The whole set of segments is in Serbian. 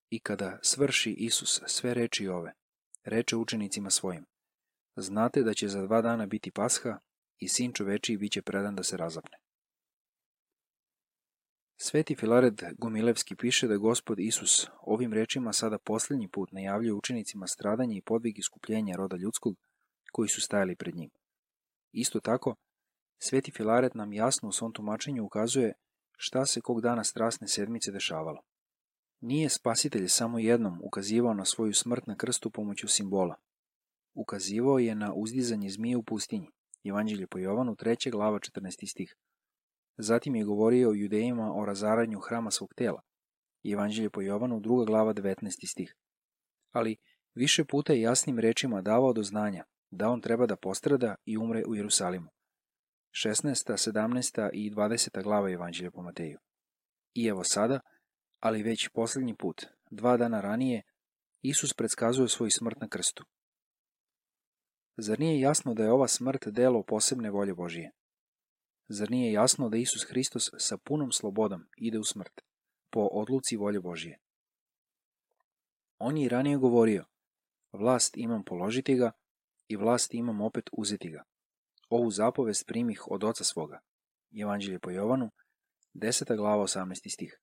I kada svrši Isus sve reči ove, reče učenicima svojim: znate da će za 2 dana biti Pasha i Sin čovečiji bit će predan da se razapne. Sveti Filaret Gumilevski piše da Gospod Isus ovim rečima sada posljednji put najavljuje učenicima stradanje i podvig iskupljenja roda ljudskog koji su stajali pred njim. Isto tako, Sveti Filaret nam jasno u svom tumačenju ukazuje šta se kog dana strasne sedmice dešavalo. Nije Spasitelj samo jednom ukazivao na svoju smrt na krstu pomoću simbola. Ukazivao je na uzdizanje zmije u pustinji, Evanđelje po Jovanu 3. glava 14. stih. Zatim je govorio o Judejima o razaranju hrama svog tela, Evanđelje po Jovanu 2. glava 19. stih. Ali više puta je jasnim rečima davao do znanja da on treba da postrada i umre u Jerusalimu. 16., 17. i 20. glava Evanđelja po Mateju. I evo sada, ali već posljednji put, 2 dana ranije, Isus predskazuje svoju smrt na krstu. Zar nije jasno da je ova smrt delo posebne volje Božije? Zar nije jasno da Isus Hristos sa punom slobodom ide u smrt, po odluci volje Božije? On je i ranije govorio: vlast imam položiti ga i vlast imam opet uzeti ga. Ovu zapovest primih od oca svoga. Evanđelje po Jovanu, 10. glava 18. stih.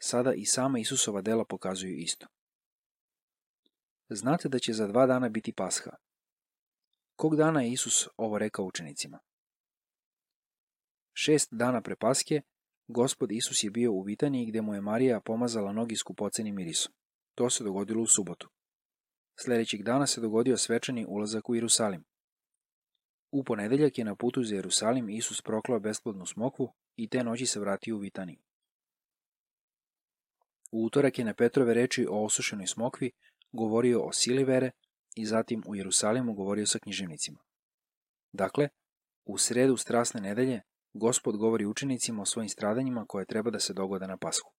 Sada i sama Isusova dela pokazuju isto. Znate da će za 2 dana biti Pasha. Kog dana je Isus ovo rekao učenicima? 6 dana pre Paske, Gospod Isus je bio u Vitaniji gde mu je Marija pomazala noge skupocenim mirisom. To se dogodilo u subotu. Sljedećeg dana se dogodio svečani ulazak u Jerusalim. U ponedeljak je na putu za Jerusalim Isus proklao besplodnu smokvu i te noći se vratio u Vitaniju. U utorak je na Petrove reči o osušenoj smokvi govorio o sili vere i zatim u Jerusalimu govorio sa književnicima. Dakle, u sredu strasne nedelje Gospod govori učenicima o svojim stradanjima koje treba da se dogode na Pashu.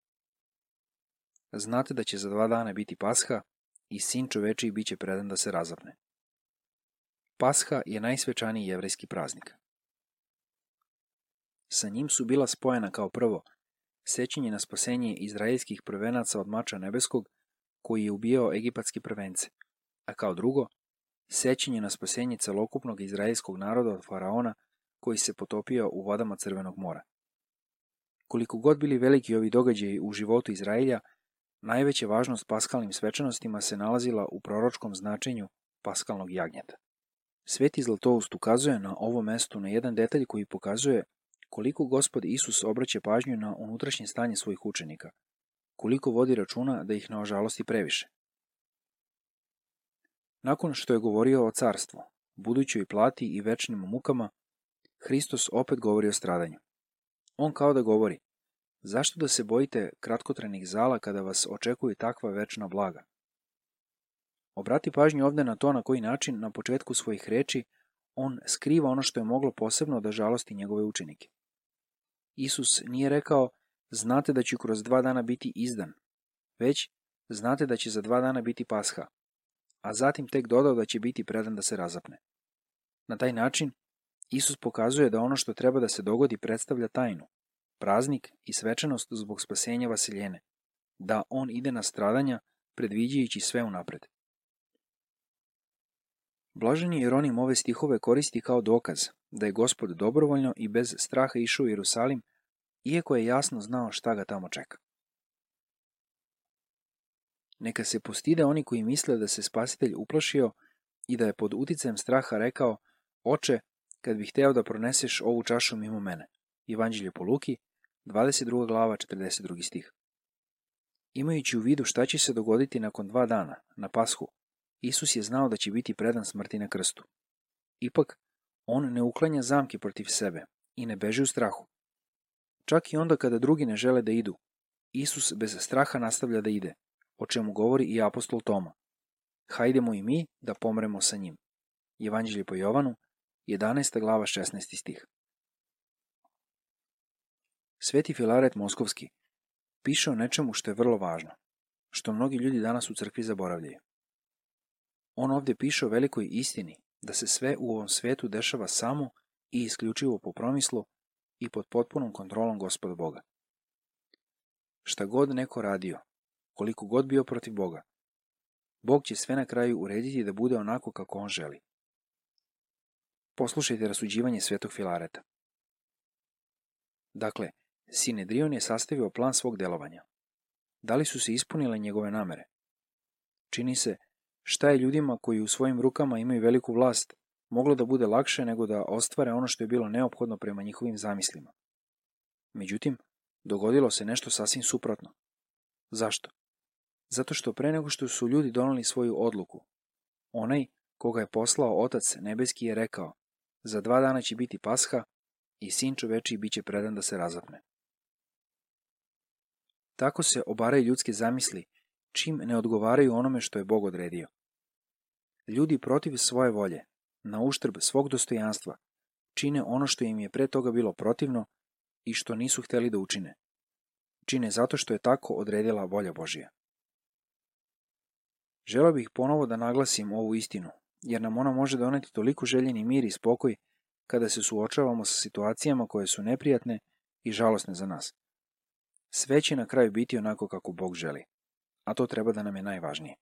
Znate da će za 2 dana biti Pasha i Sin čovečiji bit će predan da se razapne. Pasha je najsvečaniji jevrejski praznik. Sa njim su bila spojena kao prvo sećanje na spasenje izraelskih prvenaca od mača nebeskog koji je ubijao egipatske prvence, a kao drugo sećanje na spasenje celokupnog izraelskog naroda od faraona koji se potopio u vodama Crvenog mora. Koliko god bili veliki ovi događaji u životu Izraelja, najveća važnost paskalnim svečanostima se nalazila u proročkom značenju paskalnog jagnjeta. Sveti Zlatoust ukazuje na ovom mestu na jedan detalj koji pokazuje koliko Gospod Isus obraća pažnju na unutrašnje stanje svojih učenika, koliko vodi računa da ih ne ožalosti previše. Nakon što je govorio o carstvu, budućoj plati i večnim mukama, Hristos opet govori o stradanju. On kao da govori: zašto da se bojite kratkotrajnih zala kada vas očekuju takva večna blaga? Obrati pažnju ovde na to na koji način na početku svojih reči on skriva ono što je moglo posebno da žalosti njegove učenike. Isus nije rekao: znate da ću kroz 2 dana biti izdan, već znate da će za 2 dana biti Pasha, a zatim tek dodao da će biti predan da se razapne. Na taj način Isus pokazuje da ono što treba da se dogodi predstavlja tajnu, praznik i svečanost zbog spasenja Vasiljene, da on ide na stradanja predviđajući sve unapred. Blaženi Jeronim ove stihove koristi kao dokaz da je Gospod dobrovoljno i bez straha išao u Jerusalim, iako je jasno znao šta ga tamo čeka. Neka se postide oni koji misle da se Spasitelj uplašio i da je pod uticajem straha rekao: Oče, kad bih hteo da proneseš ovu čašu mimo mene. Evanđelje po Luki, 22. glava, 42. stih. Imajući u vidu šta će se dogoditi nakon 2 dana, na Pashu, Isus je znao da će biti predan smrti na krstu. Ipak, on ne uklanja zamke protiv sebe i ne beži u strahu. Čak i onda kada drugi ne žele da idu, Isus bez straha nastavlja da ide, o čemu govori i apostol Toma. Hajdemo i mi da pomremo sa njim. Evanđelje po Jovanu, 11. glava, 16. stih. Sveti Filaret Moskovski piše o nečemu što je vrlo važno, što mnogi ljudi danas u crkvi zaboravljaju. On ovdje piše o velikoj istini da se sve u ovom svetu dešava samo i isključivo po promislu i pod potpunom kontrolom Gospoda Boga. Šta god neko radio, koliko god bio protiv Boga. Bog će sve na kraju urediti da bude onako kako on želi. Poslušajte rasuđivanje svetog Filareta. Dakle, Sinedrion je sastavio plan svog delovanja. Da li su se ispunile njegove namere? Čini se, šta je ljudima koji u svojim rukama imaju veliku vlast moglo da bude lakše nego da ostvare ono što je bilo neophodno prema njihovim zamislima. Međutim, dogodilo se nešto sasvim suprotno. Zašto? Zato što pre nego što su ljudi doneli svoju odluku, onaj koga je poslao Otac nebeski je rekao: za 2 dana će biti Pasha i Sin čovečiji bit će predan da se razapne. Tako se obaraju ljudske zamisli čim ne odgovaraju onome što je Bog odredio. Ljudi protiv svoje volje, na uštrb svog dostojanstva, čine ono što im je pre toga bilo protivno i što nisu hteli da učine. Čine zato što je tako odredila volja Božja. Želeo bih ponovo da naglasim ovu istinu, jer nam ona može doneti toliko željeni mir i spokoj kada se suočavamo sa situacijama koje su neprijatne i žalosne za nas. Sve će na kraju biti onako kako Bog želi, a to treba da nam je najvažnije.